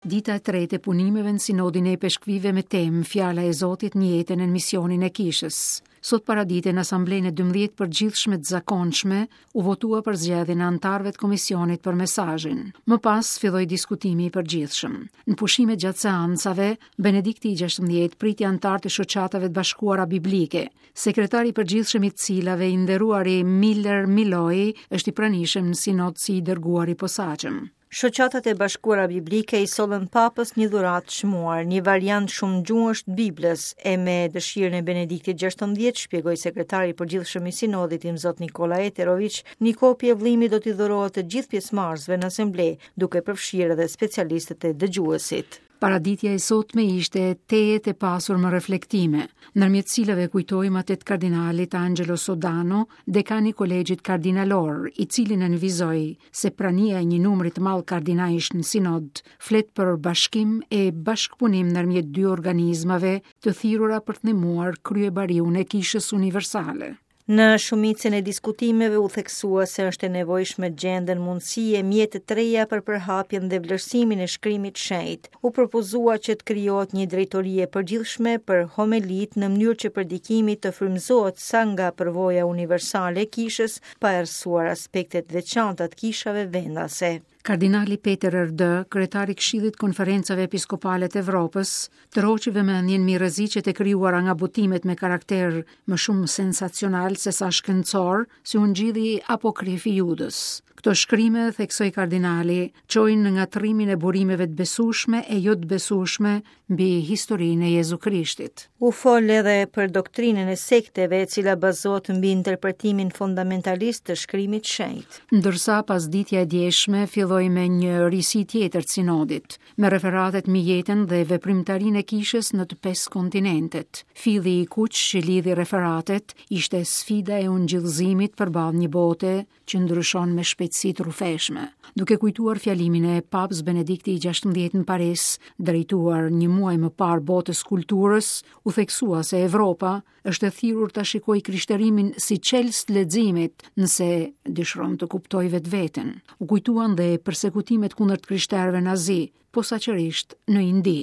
Dita e tretë e punimeve në Sinodin e Ipeshkvijve me temë Fjala e Zotit në jetën e në misionin e Kishës. Sot paradite në Asamblenë e 12 përgjithshme të zakonshme u votua për zgjedhjen e anëtarëve të komisionit për mesazhin. Më pas filloi diskutimi i përgjithshëm. Në pushimet gjatë seancave, Benedikti i 16 priti anëtarët e shoqatave të bashkuara biblike. Sekretari i përgjithshëm i të cilave i nderuari Miller Milloy është i pranishëm në sinod si i dërguar i posaçëm. Shoqatat e Bashkuara Biblike i sollën Papës një dhuratë të çmuar, një variant shumëgjuhësh të Biblës, e me dëshirën e Benediktit XVI, shpjegoi sekretari i përgjithshëm i Sinodit Imzot Nikola Eterović, një kopje e vëllimit do t'i dhurohet të gjithë pjesëmarrësve në asamble, duke përfshirë edhe specialistët e dëgjuesit. Paraditja e sotme ishte tejet e pasur me reflektime, ndërmjet të cilave kujtojmë atë të kardinalit Angelo Sodano, dekan i Kolegjit Kardinalor, i cili nënvizoi se prania e një numri të madh kardinajsh në sinod flet për bashkim e bashkëpunim ndërmjet dy organizmave të thirrura për të ndihmuar kryebariun e Kishës Universale. Në shumicën e diskutimeve u theksua se është e nevojshme të gjenden mundësi e mjete të reja për përhapjen dhe vlerësimin e shkrimit të shenjtë. U propozua që të krijohet një drejtori e përgjithshme për homelitë në mënyrë që predikimi të frymëzohet sa nga përvoja universale e kishës, pa errësuar aspekte të veçanta të kishave vendase. Kardinali Peter Erdö, kryetar i Këshillit të Konferencave Episkopale të Evropës, tërhoqi vëmendjen mbi rreziqet e krijuara nga botimet me karakter më shumë sensacional sesa shkencor, si Ungjilli Apokrif i Judës. Këto shkrime, theksoi kardinali, çojnë në ngatërrimin e burimeve të besueshme e jo të besueshme mbi historinë e Jezu Krishtit. U fol edhe për doktrinën e sekteve, e cila bazohet mbi interpretimin fundamentalist të shkrimit të shenjtë. Ndërsa pasditja e djeshme filloi me një risi tjetër të sinodit, me referatet mbi jetën dhe veprimtarinë e kishës në të pesë kontinentet. Filli i kuq që lidhi referatet ishte sfida e ungjillëzimit përballë një bote që ndryshon me shpejtësi të rrufeshme. Duke kujtuar fjalimin e Papës Benedikti i 16 në Paris, drejtuar një muaj më parë botës së kulturës, u theksua se Evropa është e thirrur ta shikojë krishterimin si çelës të leximit, nëse dëshiron të kuptojë vetveten. U kujtuan dhe persekutimet kundër të krishterëve në Azi, posaçërisht në Indi.